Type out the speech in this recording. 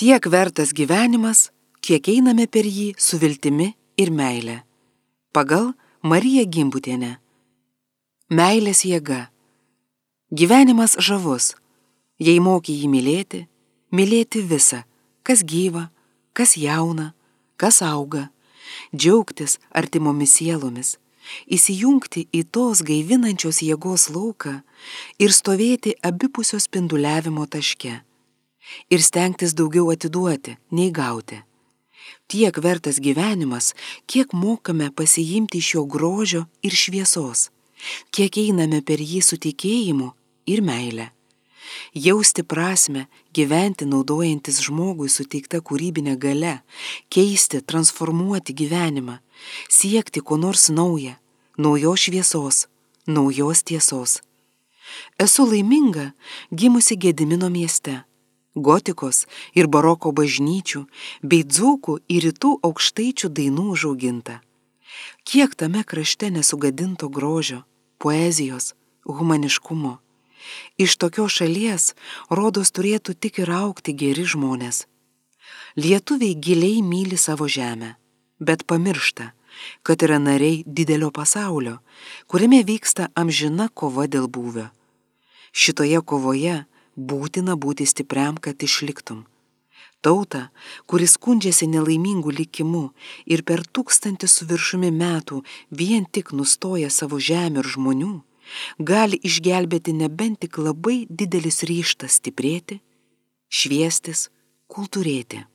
Tiek vertas gyvenimas, kiek einame per jį su viltimi ir meile. Pagal Mariją Gimbutienę. Meilės jėga. Gyvenimas žavus, jei moki jį mylėti, mylėti visą, kas gyva, kas jauna, kas auga, džiaugtis artimomis sielomis, įsijungti į tos gaivinančios jėgos lauką ir stovėti abipusio spinduliavimo taške ir stengtis daugiau atiduoti, nei gauti. Tiek vertas gyvenimas, kiek mokame pasiimti iš jo grožio ir šviesos, kiek einame per jį su tikėjimu ir meile. Jausti prasmę, gyventi naudojantis žmogui suteikta kūrybinė galia, keisti, transformuoti gyvenimą, siekti ko nors nauja, naujos šviesos, naujos tiesos. Esu laiminga gimusi Gedimino mieste, gotikos ir baroko bažnyčių bei dzūkų ir rytų aukštaičių dainų užauginta. Kiek tame krašte nesugadinto grožio, poezijos, humaniškumo. Iš tokios šalies, rodos, turėtų tik ir augti geri žmonės. Lietuviai giliai myli savo žemę, bet pamiršta, kad yra nariai didelio pasaulio, kuriame vyksta amžina kova dėl būvio. Šitoje kovoje būtina būti stipriam, kad išliktum. Tauta, kuris skundžiasi nelaimingų likimu ir per 1000 su viršumi metų vien tik nustoja savo žemę ir žmonių, gali išgelbėti nebent tik labai didelis ryžtas stiprėti, šviestis, kultūrėti.